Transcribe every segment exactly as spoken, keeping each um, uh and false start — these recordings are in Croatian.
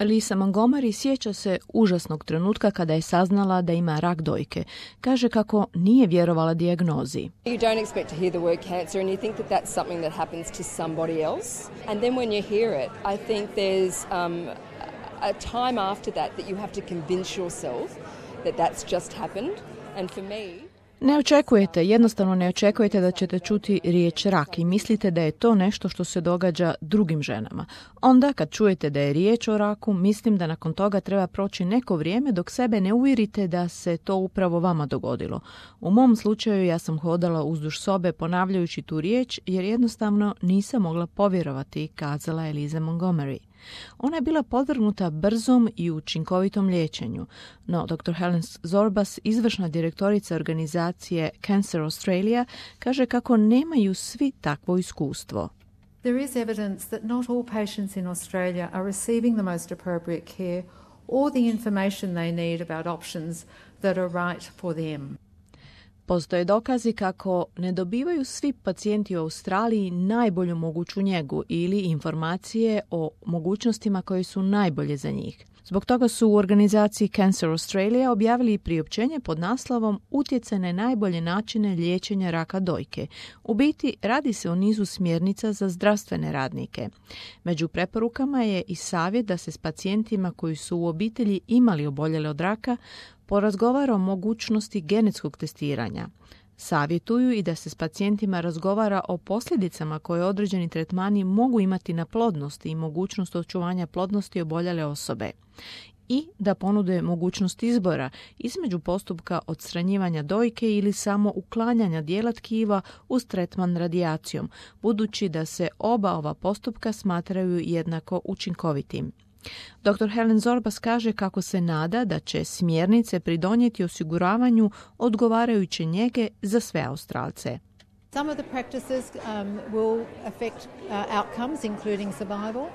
Lisa Montgomery sjeća se užasnog trenutka kada je saznala da ima rak dojke. Kaže kako nije vjerovala dijagnozi. You don't expect to hear the word cancer and you think that that's something that happens to somebody else. And then when you hear it, I think there's um, a time after that that you have to convince yourself that that's just happened. And for me... Ne očekujete, jednostavno ne očekujete da ćete čuti riječ rak i mislite da je to nešto što se događa drugim ženama. Onda kad čujete da je riječ o raku, mislim da nakon toga treba proći neko vrijeme dok sebe ne uvjerite da se to upravo vama dogodilo. U mom slučaju ja sam hodala uzduž sobe ponavljajući tu riječ jer jednostavno nisam mogla povjerovati, kazala je Lisa Montgomery. Ona je bila podvrgnuta brzom i učinkovitom liječenju, no doktor Helen Zorbas, izvršna direktorica organizacije Cancer Australia, kaže kako nemaju svi takvo iskustvo. There is evidence that not all patients in Australia are receiving the most appropriate care or the information they need about options that are right for them. Postoje dokazi kako ne dobivaju svi pacijenti u Australiji najbolju moguću njegu ili informacije o mogućnostima koje su najbolje za njih. Zbog toga su u organizaciji Cancer Australia objavili priopćenje pod naslovom Utjecaj na najbolje načine liječenja raka dojke. U biti radi se o nizu smjernica za zdravstvene radnike. Među preporukama je i savjet da se s pacijentima koji su u obitelji imali oboljele od raka porazgovara o mogućnosti genetskog testiranja. Savjetuju i da se s pacijentima razgovara o posljedicama koje određeni tretmani mogu imati na plodnost i mogućnost očuvanja plodnosti oboljele osobe. I da ponude mogućnost izbora između postupka odstranjivanja dojke ili samo uklanjanja dijela tkiva uz tretman radijacijom, budući da se oba ova postupka smatraju jednako učinkovitim. doktor Helen Zorbas kaže kako se nada da će smjernice pridonijeti osiguravanju odgovarajuće njege za sve Australce. Some of the practices um, will affect uh, outcomes, including survival.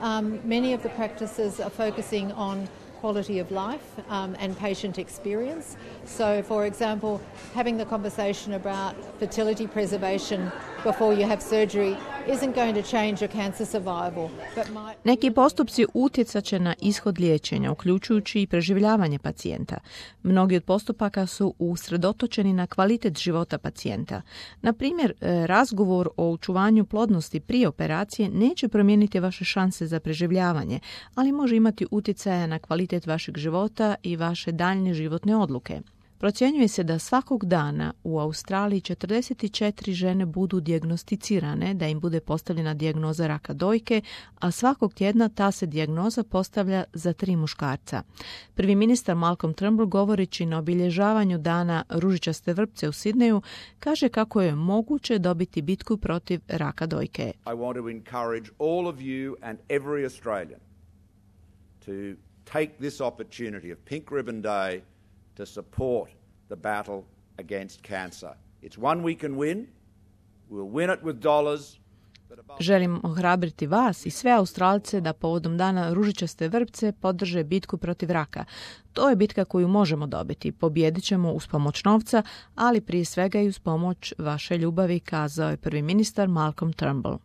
Um, many of the practices are focusing on quality of life um, and patient experience. So, for example, having the conversation about fertility preservation before you have surgery isn't going to change your cancer survival, but might... Neki postupci utjecat će na ishod liječenja, uključujući i preživljavanje pacijenta. Mnogi od postupaka su usredotočeni na kvalitet života pacijenta. Na primjer, razgovor o očuvanju plodnosti prije operacije neće promijeniti vaše šanse za preživljavanje, ali može imati utjecaja na kvalitet vašeg života i vaše daljnje životne odluke. Procjenjuje se da svakog dana u Australiji četrdeset četiri žene budu dijagnosticirane, da im bude postavljena dijagnoza raka dojke, a svakog tjedna ta se dijagnoza postavlja za tri muškarca. Prvi ministar Malcolm Turnbull, govoreći na obilježavanju dana ružičaste vrpce u Sidneju, kaže kako je moguće dobiti bitku protiv raka dojke. I want to encourage all of you and every Australian to take this opportunity of Pink Ribbon Day to support the battle against cancer. It's one we can win. We'll win it with dollars. Želim ohrabriti vas i sve Australce da povodom dana ružičaste vrpce podrže bitku protiv raka. To je bitka koju možemo dobiti. Pobijedit ćemo uz pomoć novca, ali prije svega i uz pomoć vaše ljubavi, kazao je prvi ministar Malcolm Turnbull.